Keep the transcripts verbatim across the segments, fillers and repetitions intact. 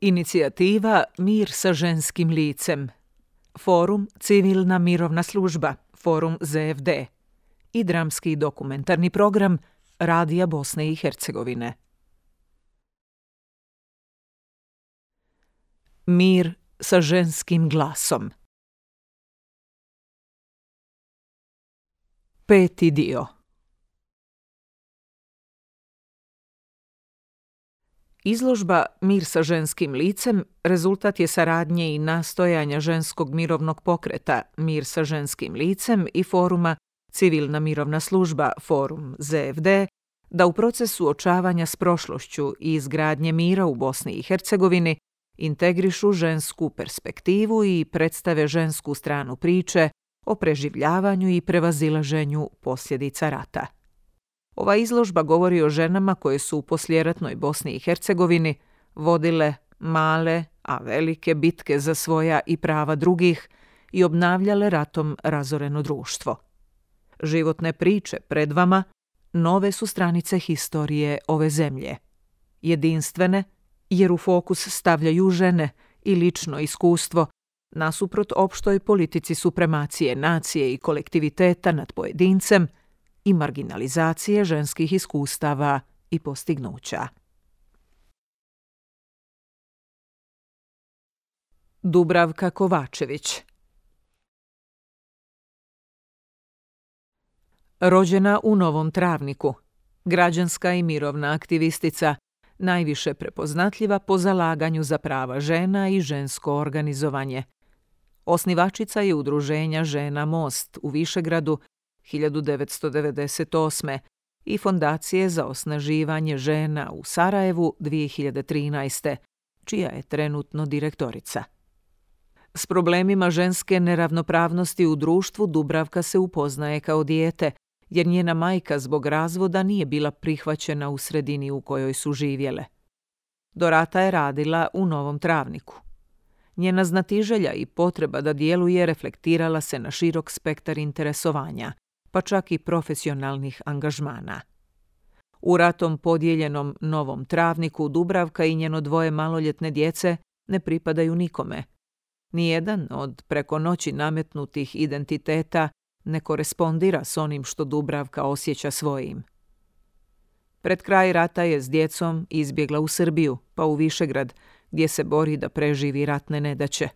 Inicijativa Mir sa ženskim licem, Forum Civilna mirovna služba, Forum Z F D i dramski dokumentarni program Radija Bosne i Hercegovine. Mir sa ženskim glasom. Peti dio. Izložba Mir sa ženskim licem rezultat je saradnje i nastojanja ženskog mirovnog pokreta Mir sa ženskim licem i foruma Civilna mirovna služba, Forum Z F D, da u procesu suočavanja s prošlošću i izgradnje mira u Bosni i Hercegovini integrišu žensku perspektivu i predstave žensku stranu priče o preživljavanju i prevazilaženju posljedica rata. Ova izložba govori o ženama koje su u poslijeratnoj Bosni i Hercegovini vodile male, a velike bitke za svoja i prava drugih i obnavljale ratom razoreno društvo. Životne priče pred vama nove su stranice historije ove zemlje. Jedinstvene, jer u fokus stavljaju žene i lično iskustvo, nasuprot opštoj politici supremacije nacije i kolektiviteta nad pojedincem i marginalizacije ženskih iskustava i postignuća. Dubravka Kovačević. Rođena u Novom Travniku, građanska i mirovna aktivistica, najviše prepoznatljiva po zalaganju za prava žena i žensko organizovanje. Osnivačica je udruženja Žena Most u Višegradu hiljadu devetsto devedeset osme i Fondacije za osnaživanje žena u Sarajevu dvije hiljade trinaeste, čija je trenutno direktorica. S problemima ženske neravnopravnosti u društvu Dubravka se upoznaje kao dijete, jer njena majka zbog razvoda nije bila prihvaćena u sredini u kojoj su živjele. Do rata je radila u Novom Travniku. Njena znatiželja i potreba da djeluje reflektirala se na širok spektar interesovanja, pa čak i profesionalnih angažmana. U ratom podijeljenom Novom Travniku Dubravka i njeno dvoje maloljetne djece ne pripadaju nikome. Nijedan od preko noći nametnutih identiteta ne korespondira s onim što Dubravka osjeća svojim. Pred kraj rata je s djecom izbjegla u Srbiju, pa u Višegrad, gdje se bori da preživi ratne nedaće.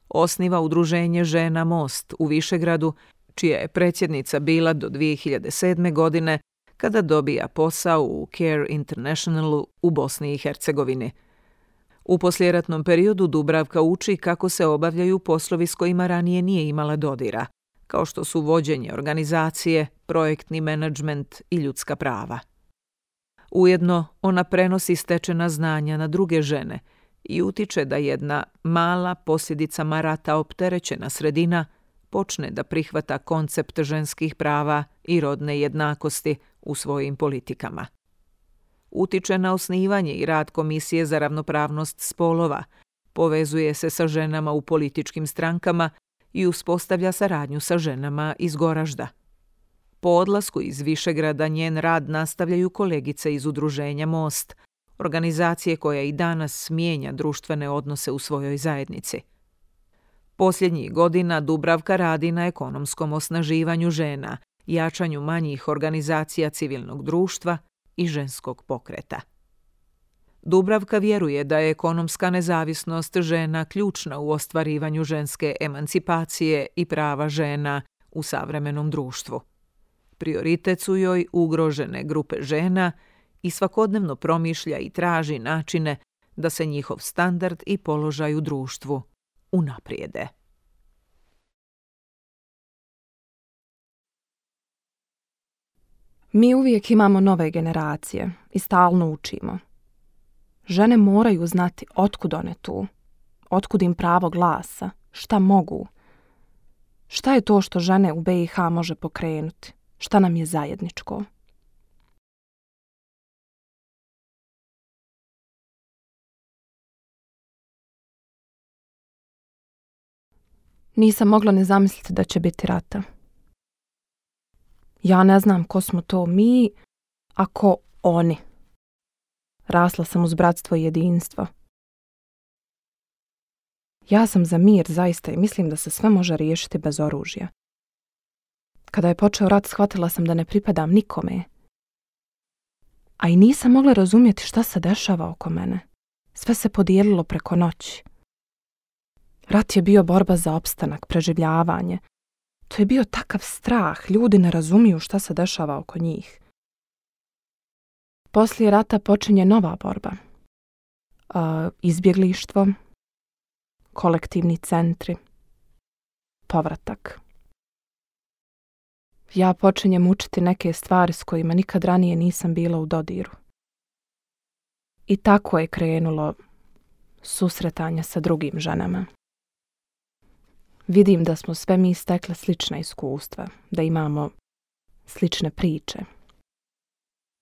Osniva udruženje Žena Most u Višegradu, čija je predsjednica bila do dvije hiljade sedme. godine, kada dobija posao u Care Internationalu u Bosni i Hercegovini. U poslijeratnom periodu Dubravka uči kako se obavljaju poslovi s kojima ranije nije imala dodira, kao što su vođenje organizacije, projektni menadžment i ljudska prava. Ujedno, ona prenosi stečena znanja na druge žene i utiče da jedna mala, posljedicama rata opterećena sredina počne da prihvata koncept ženskih prava i rodne jednakosti u svojim politikama. Utiče na osnivanje i rad Komisije za ravnopravnost spolova, povezuje se sa ženama u političkim strankama i uspostavlja saradnju sa ženama iz Goražda. Po odlasku iz Višegrada njen rad nastavljaju kolegice iz udruženja Most, organizacije koja i danas mijenja društvene odnose u svojoj zajednici. Posljednjih godina Dubravka radi na ekonomskom osnaživanju žena, jačanju manjih organizacija civilnog društva i ženskog pokreta. Dubravka vjeruje da je ekonomska nezavisnost žena ključna u ostvarivanju ženske emancipacije i prava žena u savremenom društvu. Prioritet su joj ugrožene grupe žena i svakodnevno promišlja i traži načine da se njihov standard i položaj u društvu unaprijede. Mi uvijek imamo nove generacije i stalno učimo. Žene moraju znati otkud one tu, otkud im pravo glasa, šta mogu. Šta je to što žene u B i H može pokrenuti, šta nam je zajedničko. Nisam mogla ne zamisliti da će biti rata. Ja ne znam ko smo to mi, a ko oni. Rasla sam uz bratstvo i jedinstvo. Ja sam za mir zaista i mislim da se sve može riješiti bez oružja. Kada je počeo rat, shvatila sam da ne pripadam nikome. A i nisam mogla razumjeti šta se dešava oko mene. Sve se podijelilo preko noći. Rat je bio borba za opstanak, preživljavanje. To je bio takav strah, ljudi ne razumiju šta se dešava oko njih. Poslije rata počinje nova borba. Uh, izbjeglištvo, kolektivni centri, povratak. Ja počinjem učiti neke stvari s kojima nikad ranije nisam bila u dodiru. I tako je krenulo susretanje sa drugim ženama. Vidim da smo sve mi stekle slična iskustva, da imamo slične priče.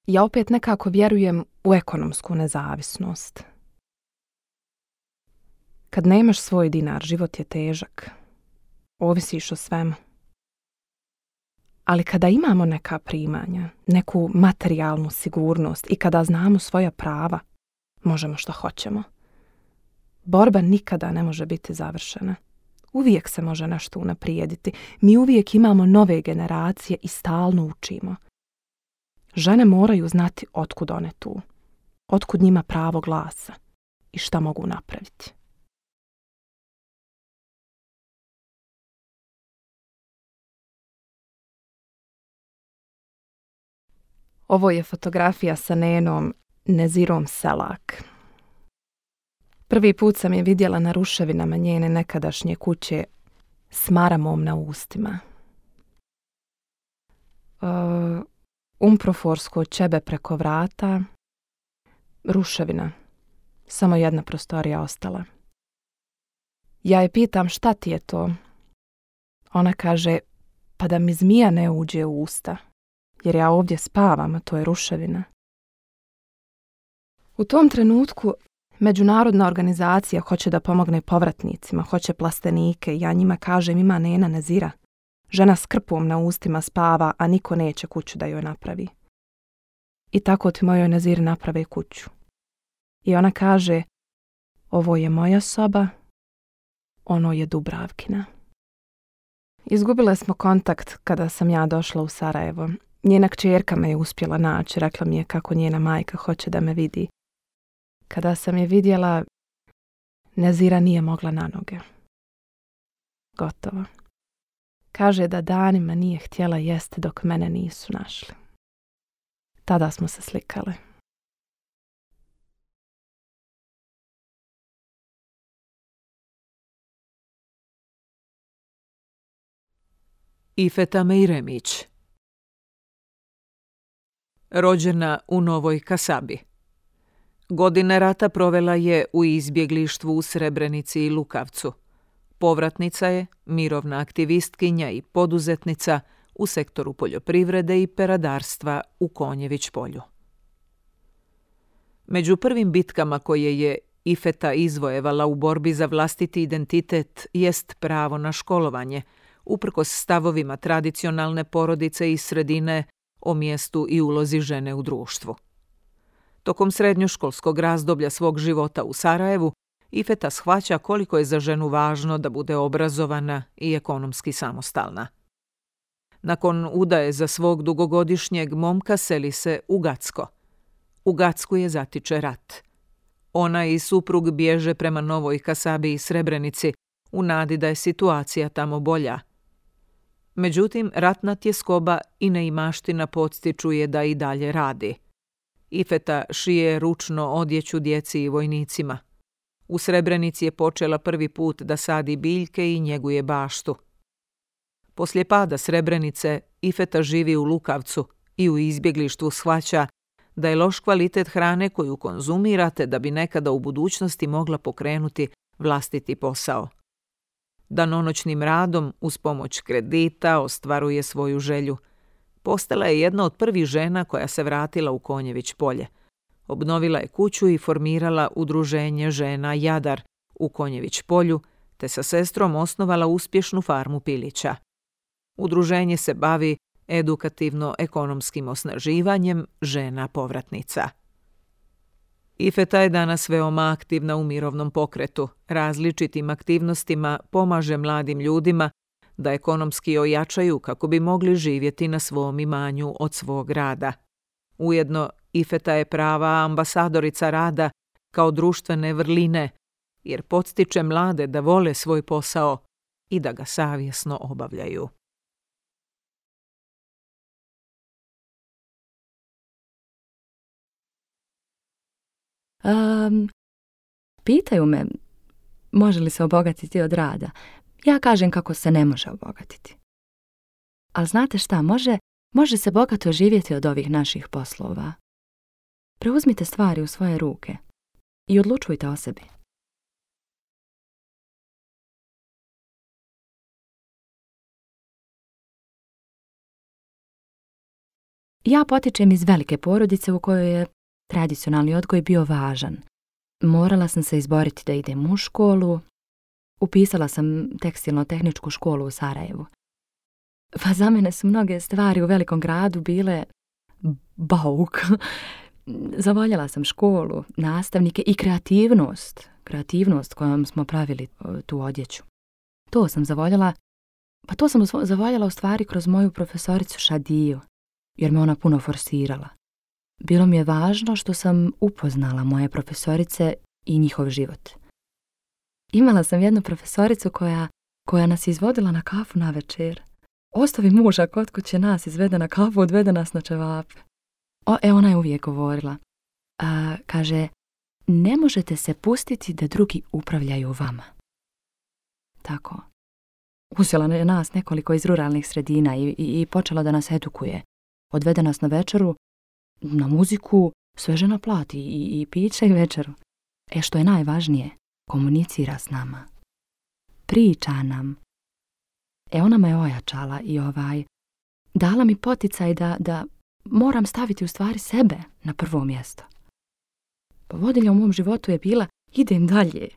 Ja opet nekako vjerujem u ekonomsku nezavisnost. Kad nemaš svoj dinar, život je težak. Ovisiš o svemu. Ali kada imamo neka primanja, neku materijalnu sigurnost i kada znamo svoja prava, možemo što hoćemo. Borba nikada ne može biti završena. Uvijek se može nešto unaprijediti. Mi uvijek imamo nove generacije i stalno učimo. Žene moraju znati otkud one tu, otkud njima pravo glasa i šta mogu napraviti. Ovo je fotografija sa nenom Nezirom Selak. Prvi put sam je vidjela na ruševinama njene nekadašnje kuće s maramom na ustima. Uh, umproforsko ćebe preko vrata, ruševina, samo jedna prostorija ostala. Ja je pitam šta ti je to? Ona kaže, pa da mi zmija ne uđe u usta, jer ja ovdje spavam, a to je ruševina. U tom trenutku međunarodna organizacija hoće da pomogne povratnicima, hoće plastenike. Ja njima kažem, ima nena Nezira. Žena s krpom na ustima spava, a niko neće kuću da joj napravi. I tako ti mojoj Neziri naprave kuću. I ona kaže, ovo je moja soba, ono je Dubravkina. Izgubile smo kontakt kada sam ja došla u Sarajevo. Njena kćerka me je uspjela naći, rekla mi je kako njena majka hoće da me vidi. Kada sam je vidjela, Nezira nije mogla na noge. Gotovo. Kaže da danima nije htjela jesti dok mene nisu našli. Tada smo se slikale. Ifeta Mejremić. Rođena u Novoj Kasabi. Godine rata provela je u izbjeglištvu u Srebrenici i Lukavcu. Povratnica je, mirovna aktivistkinja i poduzetnica u sektoru poljoprivrede i peradarstva u Konjević polju. Među prvim bitkama koje je Ifeta izvojevala u borbi za vlastiti identitet jest pravo na školovanje, uprkos stavovima tradicionalne porodice i sredine o mjestu i ulozi žene u društvu. Tokom srednjoškolskog razdoblja svog života u Sarajevu, Ifeta shvaća koliko je za ženu važno da bude obrazovana i ekonomski samostalna. Nakon udaje za svog dugogodišnjeg momka seli se u Gacko. U Gacku je zatiče rat. Ona i suprug bježe prema Novoj Kasabi i Srebrenici u nadi da je situacija tamo bolja. Međutim, ratna tjeskoba i neimaština podstiču je da i dalje radi. Ifeta šije ručno odjeću djeci i vojnicima. U Srebrenici je počela prvi put da sadi biljke i njeguje baštu. Poslije pada Srebrenice, Ifeta živi u Lukavcu i u izbjeglištvu shvaća da je loš kvalitet hrane koju konzumirate da bi nekada u budućnosti mogla pokrenuti vlastiti posao. Danonoćnim radom, uz pomoć kredita, ostvaruje svoju želju. Postala je jedna od prvih žena koja se vratila u Konjević polje. Obnovila je kuću i formirala udruženje žena Jadar u Konjević polju, te sa sestrom osnovala uspješnu farmu pilića. Udruženje se bavi edukativno-ekonomskim osnaživanjem žena povratnica. Ifeta je danas veoma aktivna u mirovnom pokretu. Različitim aktivnostima pomaže mladim ljudima da ekonomski ojačaju kako bi mogli živjeti na svom imanju od svog rada. Ujedno, Ifeta je prava ambasadorica rada kao društvene vrline, jer podstiče mlade da vole svoj posao i da ga savjesno obavljaju. Um, pitaju me može li se obogatiti od rada. Ja kažem kako se ne može obogatiti. Ali znate šta, može, može se bogato živjeti od ovih naših poslova. Preuzmite stvari u svoje ruke i odlučujte o sebi. Ja potičem iz velike porodice u kojoj je tradicionalni odgoj bio važan. Morala sam se izboriti da idem u školu. Upisala sam tekstilno-tehničku školu u Sarajevu. Pa za mene su mnoge stvari u velikom gradu bile bauk. Zavoljela sam školu, nastavnike i kreativnost. Kreativnost kojom smo pravili tu odjeću. To sam zavoljela, pa to sam zavoljela u stvari kroz moju profesoricu Šadiju, jer me ona puno forsirala. Bilo mi je važno što sam upoznala moje profesorice i njihov život. Imala sam jednu profesoricu koja, koja nas izvodila na kafu na večer. Ostavi muža kod kuće, nas izvede na kafu, odvede nas na ćevape. O, e, ona je uvijek govorila. A, kaže, ne možete se pustiti da drugi upravljaju vama. Tako. Uzela je nas nekoliko iz ruralnih sredina i, i, i počela da nas edukuje. Odvede nas na večeru, na muziku, sve žena plati i, i piće i večeru. E, što je najvažnije, komunicira s nama. Priča nam. E, ona me ojačala i ovaj, dala mi poticaj da, da moram staviti u stvari sebe na prvo mjesto. Povodilja u mom životu je bila, idem dalje.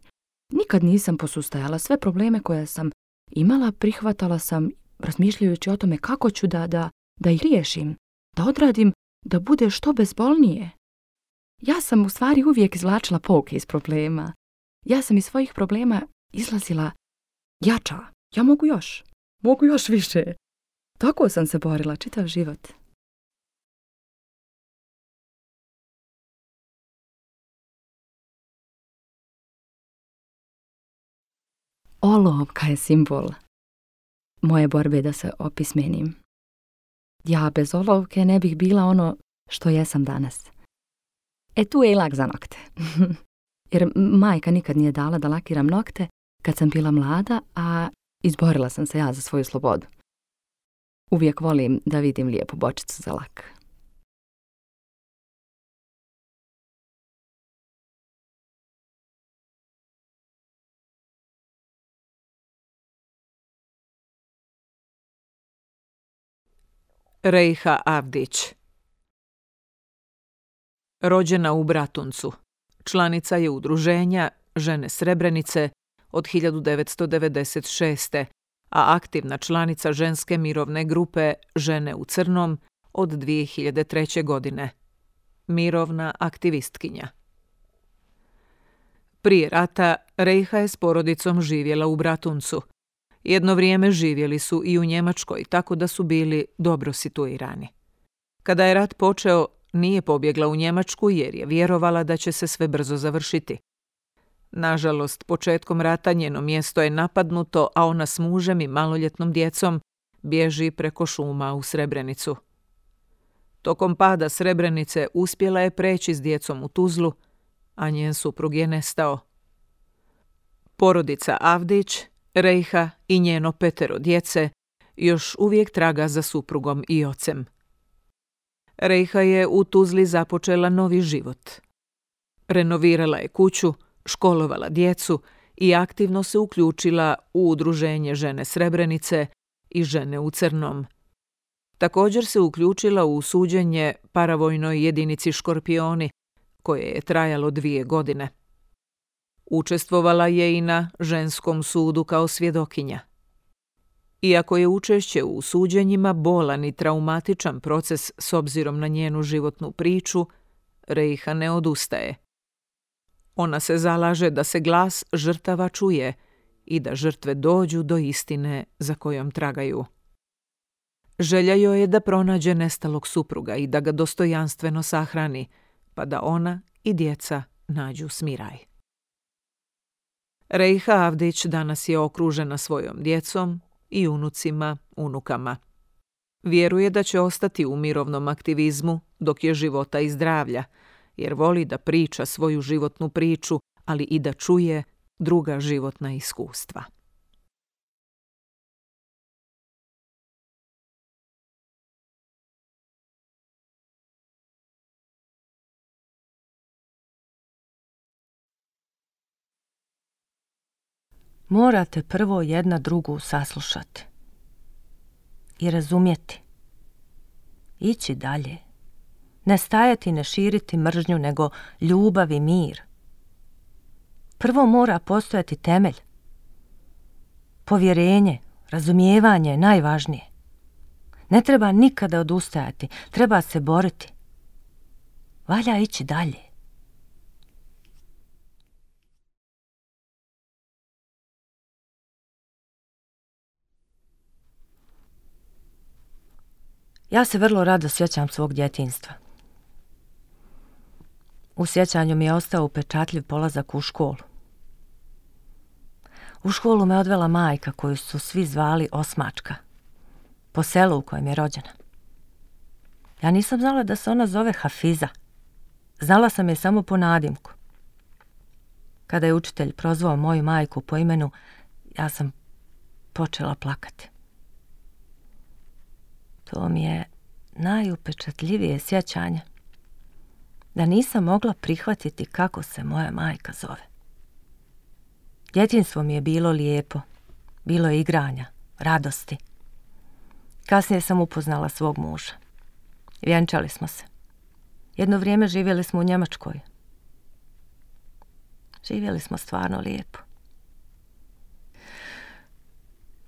Nikad nisam posustajala. Sve probleme koje sam imala prihvatala sam razmišljajući o tome kako ću da, da, da ih riješim, da odradim, da bude što bezbolnije. Ja sam u stvari uvijek izvlačila pouke iz problema. Ja sam iz svojih problema izlazila jača. Ja mogu još. Mogu još više. Tako sam se borila čitav život. Olovka je simbol moje borbe da se opismenim. Ja bez olovke ne bih bila ono što jesam danas. E, tu je i lak za nokte. Jer majka nikad nije dala da lakiram nokte kad sam bila mlada, a izborila sam se ja za svoju slobodu. Uvijek volim da vidim lijepu bočicu za lak. Rejha Avdić. Rođena u Bratuncu. Članica je udruženja Žene Srebrenice od hiljadu devetsto devedeset šeste. a aktivna članica ženske mirovne grupe Žene u crnom od dvije hiljade treće. godine. Mirovna aktivistkinja. Prije rata Rejha je s porodicom živjela u Bratuncu. Jedno vrijeme živjeli su i u Njemačkoj, tako da su bili dobro situirani. Kada je rat počeo, nije pobjegla u Njemačku jer je vjerovala da će se sve brzo završiti. Nažalost, početkom rata njeno mjesto je napadnuto, a ona s mužem i maloljetnom djecom bježi preko šuma u Srebrenicu. Tokom pada Srebrenice uspjela je preći s djecom u Tuzlu, a njen suprug je nestao. Porodica Avdić, Rejha i njeno petero djece još uvijek traga za suprugom i ocem. Rejha je u Tuzli započela novi život. Renovirala je kuću, školovala djecu i aktivno se uključila u udruženje Žene Srebrenice i Žene u crnom. Također se uključila u suđenje paravojnoj jedinici Škorpioni, koje je trajalo dvije godine. Učestvovala je i na ženskom sudu kao svjedokinja. Iako je učešće u suđenjima bolan i traumatičan proces s obzirom na njenu životnu priču, Rejha ne odustaje. Ona se zalaže da se glas žrtava čuje i da žrtve dođu do istine za kojom tragaju. Želja joj je da pronađe nestalog supruga i da ga dostojanstveno sahrani, pa da ona i djeca nađu smiraj. Rejha Avdić danas je okružena svojom djecom i unucima, unukama. Vjeruje da će ostati u mirovnom aktivizmu dok je života i zdravlja, jer voli da priča svoju životnu priču, ali i da čuje druga životna iskustva. Morate prvo jedna drugu saslušati i razumjeti. Ići dalje. Ne stajati, ne širiti mržnju, nego ljubav i mir. Prvo mora postojati temelj. Povjerenje, razumijevanje je najvažnije. Ne treba nikada odustajati, treba se boriti. Valja ići dalje. Ja se vrlo rado sjećam svog djetinjstva. U sjećanju mi je ostao upečatljiv polazak u školu. U školu me odvela majka koju su svi zvali Osmačka, po selu u kojem je rođena. Ja nisam znala da se ona zove Hafiza. Znala sam je samo po nadimku. Kada je učitelj prozvao moju majku po imenu, ja sam počela plakati. To mi je najupečatljivije sjećanje, da nisam mogla prihvatiti kako se moja majka zove. Djetinjstvo mi je bilo lijepo, bilo je igranja, radosti. Kasnije sam upoznala svog muža. Vjenčali smo se. Jedno vrijeme živjeli smo u Njemačkoj. Živjeli smo stvarno lijepo.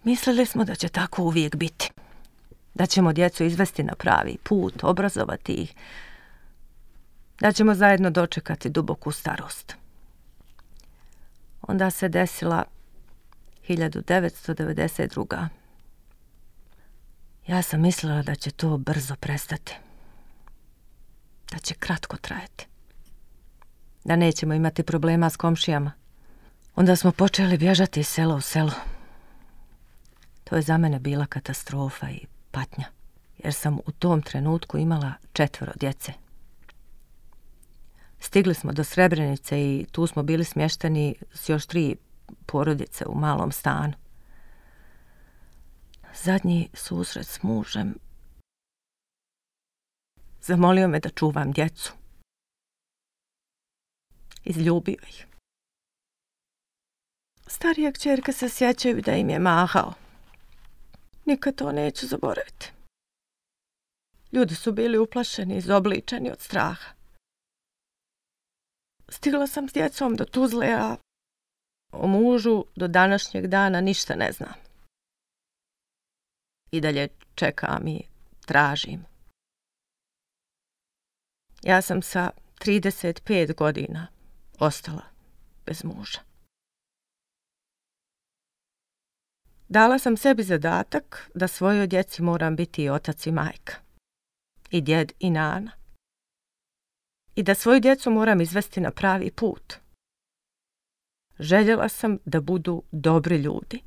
Mislili smo da će tako uvijek biti. Da ćemo djecu izvesti na pravi put, obrazovati ih. Da ćemo zajedno dočekati duboku starost. Onda se desila hiljadu devetsto devedeset druga. Ja sam mislila da će to brzo prestati. Da će kratko trajati. Da nećemo imati problema s komšijama. Onda smo počeli bježati iz sela u selo. To je za mene bila katastrofa i patnja, jer sam u tom trenutku imala četvoro djece. Stigli smo do Srebrenice i tu smo bili smješteni s još tri porodice u malom stanu. Zadnji susret s mužem zamolio me da čuvam djecu. Izljubio ih. Starija kćerka se sjećaju da im je mahao. Nikad to neću zaboraviti. Ljudi su bili uplašeni i izobličeni od straha. Stigla sam s djecom do Tuzle, a o mužu do današnjeg dana ništa ne znam. I dalje čekam i tražim. Ja sam sa trideset pet godina ostala bez muža. Dala sam sebi zadatak da svojoj djeci moram biti i otac i majka, i djed i nana. I da svoju djecu moram izvesti na pravi put. Željela sam da budu dobri ljudi.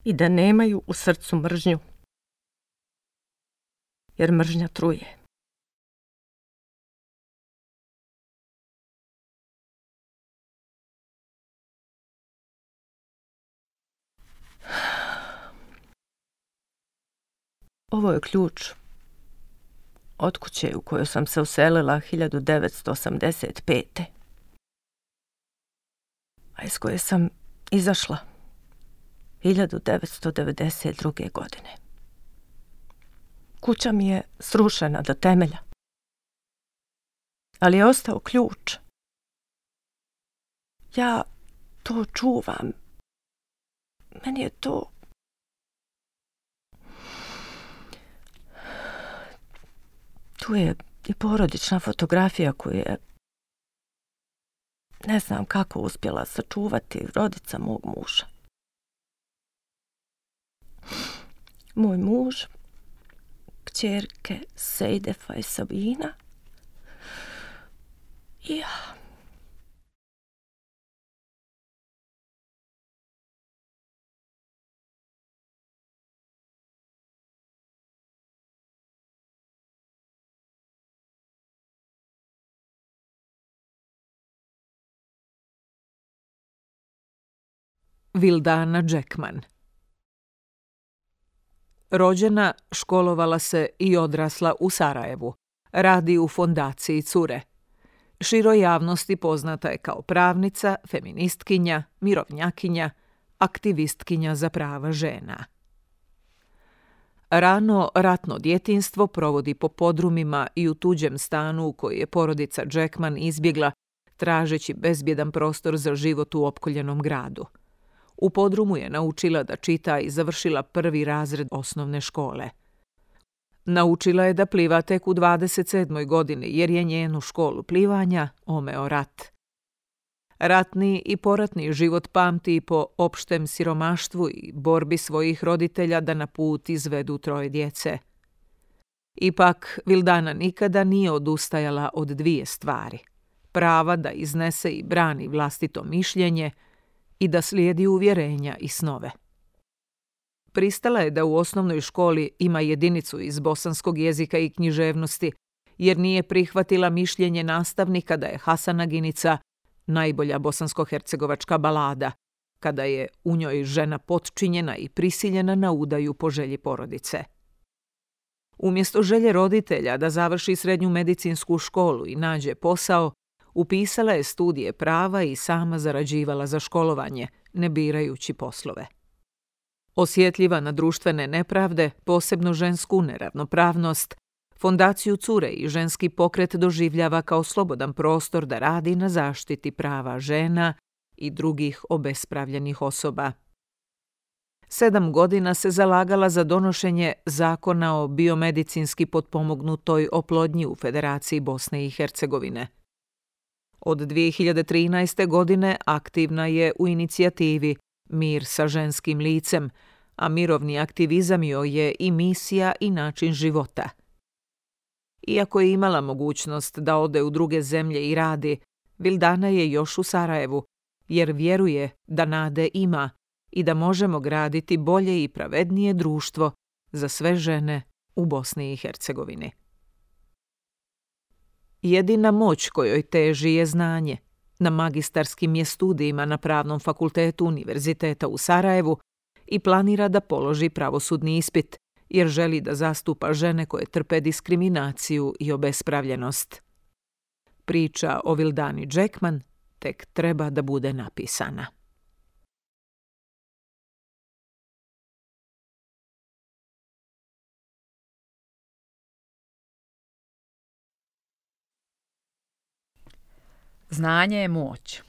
I da nemaju u srcu mržnju. Jer mržnja truje. Ovo je ključ od kuće u kojoj sam se uselila hiljadu devetsto osamdeset pete. A iz koje sam izašla hiljadu devetsto devedeset druge. godine. Kuća mi je srušena do temelja. Ali je ostao ključ. Ja to čuvam. Meni je to... Tu je i porodična fotografija koju je ne znam kako uspjela sačuvati rodica mog muža. Moj muž, kćerke Sejdefa i Sabina i ja. Vildana Jackman. Rođena, školovala se i odrasla u Sarajevu. Radi u fondaciji Cure. Široj javnosti poznata je kao pravnica, feministkinja, mirovnjakinja, aktivistkinja za prava žena. Rano ratno djetinjstvo provodi po podrumima i u tuđem stanu u koji je porodica Jackman izbjegla, tražeći bezbjedan prostor za život u opkoljenom gradu. U podrumu je naučila da čita i završila prvi razred osnovne škole. Naučila je da pliva tek u dvadeset sedmoj godini jer je njenu školu plivanja omeo rat. Ratni i poratni život pamti po opštem siromaštvu i borbi svojih roditelja da na put izvedu troje djece. Ipak, Vildana nikada nije odustajala od dvije stvari. Prava da iznese i brani vlastito mišljenje i da slijedi uvjerenja i snove. Pristala je da u osnovnoj školi ima jedinicu iz bosanskog jezika i književnosti, jer nije prihvatila mišljenje nastavnika da je Hasanaginica najbolja bosansko-hercegovačka balada, kada je u njoj žena potčinjena i prisiljena na udaju po želji porodice. Umjesto želje roditelja da završi srednju medicinsku školu i nađe posao, upisala je studije prava i sama zarađivala za školovanje, ne birajući poslove. Osjetljiva na društvene nepravde, posebno žensku neravnopravnost, fondaciju Cure i ženski pokret doživljava kao slobodan prostor da radi na zaštiti prava žena i drugih obespravljenih osoba. Sedam godina se zalagala za donošenje zakona o biomedicinski potpomognutoj oplodnji u Federaciji Bosne i Hercegovine. Od dvije hiljade trinaeste. godine aktivna je u inicijativi Mir sa ženskim licem, a mirovni aktivizam joj je i misija i način života. Iako je imala mogućnost da ode u druge zemlje i radi, Vildana je još u Sarajevu, jer vjeruje da nade ima i da možemo graditi bolje i pravednije društvo za sve žene u Bosni i Hercegovini. Jedina moć kojoj teži je znanje. Na magistarskim je studijima na Pravnom fakultetu Univerziteta u Sarajevu i planira da položi pravosudni ispit, jer želi da zastupa žene koje trpe diskriminaciju i obespravljenost. Priča o Vildani Jackman tek treba da bude napisana. Znanje je moć.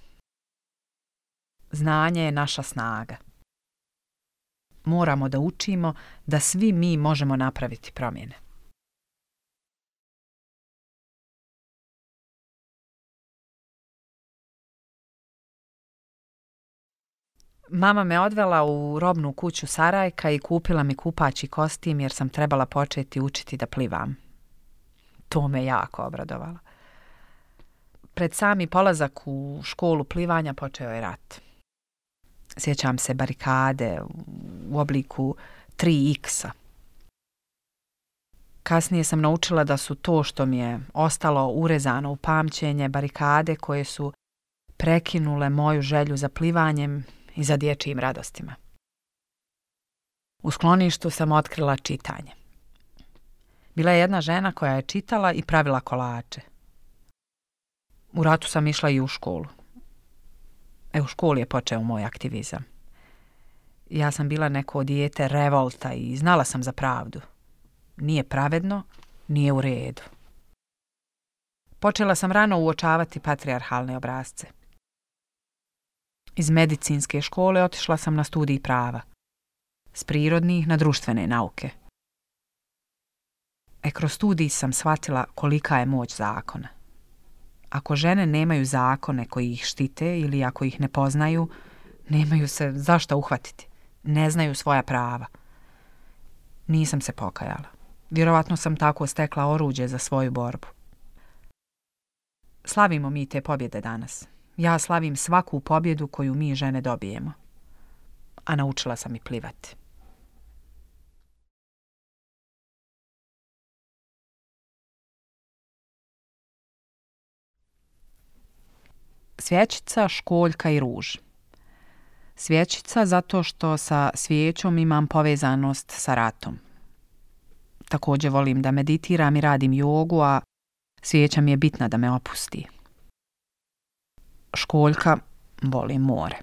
Znanje je naša snaga. Moramo da učimo da svi mi možemo napraviti promjene. Mama me odvela u robnu kuću Sarajka i kupila mi kupaći kostim jer sam trebala početi učiti da plivam. To me jako obradovalo. Pred sami polazak u školu plivanja počeo je rat. Sjećam se barikade u obliku tri iksa. Kasnije sam naučila da su to što mi je ostalo urezano u pamćenje barikade koje su prekinule moju želju za plivanjem i za dječjim radostima. U skloništu sam otkrila čitanje. Bila je jedna žena koja je čitala i pravila kolače. U ratu sam išla i u školu. E, u školi je počeo moj aktivizam. Ja sam bila neko dijete revolta i znala sam za pravdu. Nije pravedno, nije u redu. Počela sam rano uočavati patrijarhalne obrasce. Iz medicinske škole otišla sam na studij prava. S prirodnih na društvene nauke. E, kroz studij sam shvatila kolika je moć zakona. Ako žene nemaju zakone koji ih štite ili ako ih ne poznaju, nemaju se zašto uhvatiti. Ne znaju svoja prava. Nisam se pokajala. Vjerovatno sam tako stekla oruđe za svoju borbu. Slavimo mi te pobjede danas. Ja slavim svaku pobjedu koju mi žene dobijemo. A naučila sam i plivati. Svjećica, školjka i ruž. Svjećica zato što sa svijećom imam povezanost sa ratom. Također volim da meditiram i radim jogu, a svijeća mi je bitna da me opusti. Školjka, volim more.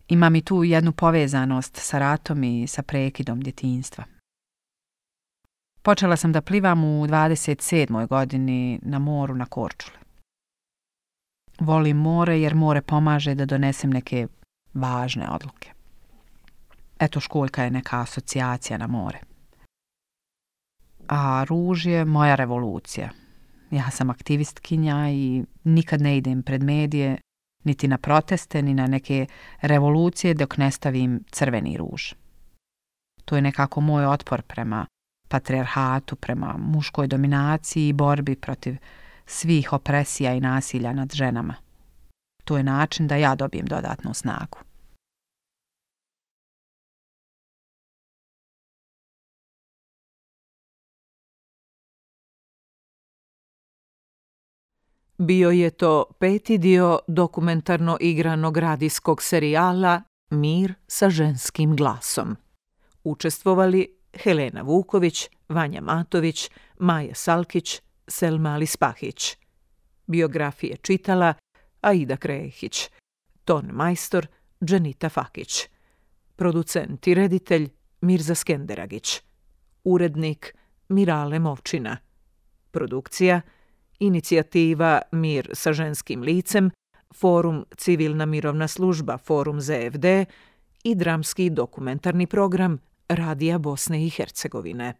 Imam i tu jednu povezanost sa ratom i sa prekidom djetinjstva. Počela sam da plivam u dvadeset sedmoj godini na moru na Korčuli. Volim more jer more pomaže da donesem neke važne odluke. Eto, školjka je neka asocijacija na more. A ruž je moja revolucija. Ja sam aktivistkinja i nikad ne idem pred medije, niti na proteste, ni na neke revolucije dok ne stavim crveni ruž. To je nekako moj otpor prema patrijarhatu, prema muškoj dominaciji i borbi protiv svih opresija i nasilja nad ženama. To je način da ja dobijem dodatnu snagu. Bio je to peti dio dokumentarno igranog radijskog serijala Mir sa ženskim glasom. Učestvovali Helena Vuković, Vanja Matović, Maja Salkić, Selma Alispahić. Biografije čitala Aida Krehić, ton majstor Dženita Fakić, producent i reditelj Mirza Skenderagić, urednik Mirale Movčina, produkcija Inicijativa Mir sa ženskim licem, Forum Civilna mirovna služba, Forum Z F D i dramski dokumentarni program Radija Bosne i Hercegovine.